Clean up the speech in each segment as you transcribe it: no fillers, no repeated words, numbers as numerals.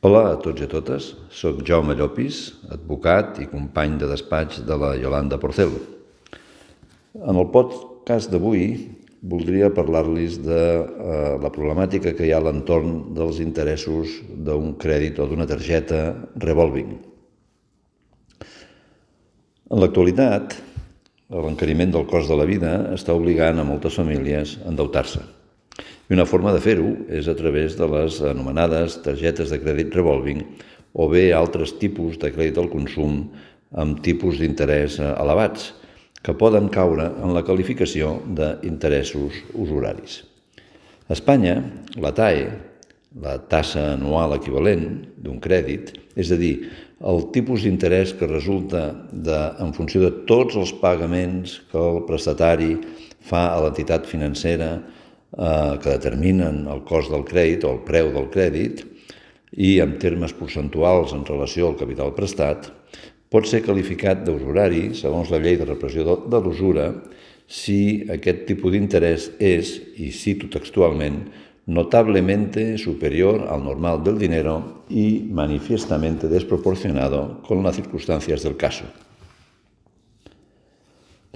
Hola a tots i a totes, soc Jaume Llopis, advocat i company de despatx de la Yolanda Porcel. En el podcast d'avui voldria parlar-los de la problemàtica que hi ha a l'entorn dels interessos d'un crèdit o d'una targeta revolving. En l'actualitat, l'encariment del cost de la vida està obligant a moltes famílies a endeutar-se. I una forma de fer-ho és a través de les anomenades targetes de crèdit revolving o bé altres tipus de crèdit al consum amb tipus d'interès elevats, que poden caure en la qualificació d'interessos usuraris. A Espanya, la TAE, la tassa anual equivalent d'un crèdit, és a dir, el tipus d'interès que resulta en funció de tots els pagaments que el prestatari fa a l'entitat financera que determinen el cost del crèdit o el preu del crèdit i en termes percentuals en relació al capital prestat, pot ser qualificat d'usurari, segons la llei de repressió de l'usura, si aquest tipus d'interès és, i cito textualmente, notablemente superior al normal del dinero y manifiestamente desproporcionado con las circunstancias del caso.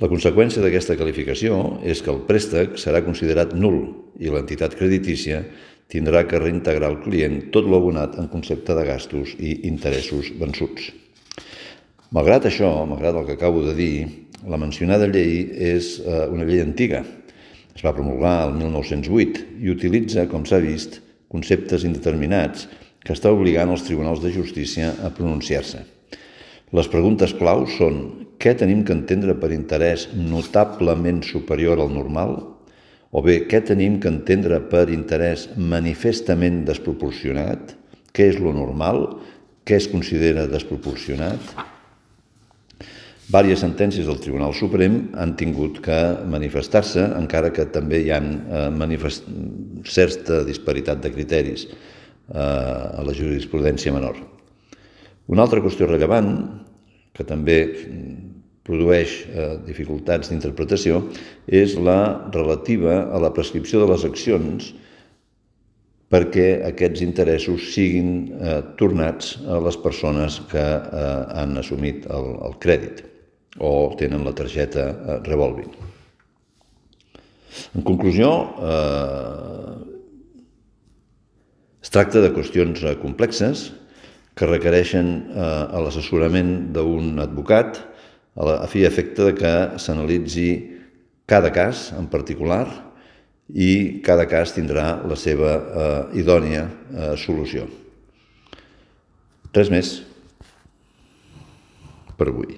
La conseqüència d'aquesta qualificació és que el préstec serà considerat nul i l'entitat creditícia tindrà que reintegrar al client tot l'abonat en concepte de gastos i interessos vençuts. Malgrat això, malgrat el que acabo de dir, la mencionada llei és una llei antiga. Es va promulgar el 1908 i utilitza, com s'ha vist, conceptes indeterminats que està obligant els tribunals de justícia a pronunciar-se. Les preguntes clau són: què tenim que entendre per interès notablement superior al normal? O bé, què tenim que entendre per interès manifestament desproporcionat? Què és lo normal? Què es considera desproporcionat? Vàries sentències del Tribunal Suprem han tingut que manifestar-se, encara que també hi ha certa disparitat de criteris a la jurisprudència menor. Una altra qüestió rellevant, que també produeix dificultats d'interpretació, és la relativa a la prescripció de les accions perquè aquests interessos siguin tornats a les persones que han assumit el crèdit o tenen la targeta revolving. En conclusió, es tracta de qüestions complexes que requereixen l'assessorament d'un advocat a fi i efecte que s'analitzi cada cas en particular i cada cas tindrà la seva idònia solució. Res més per avui.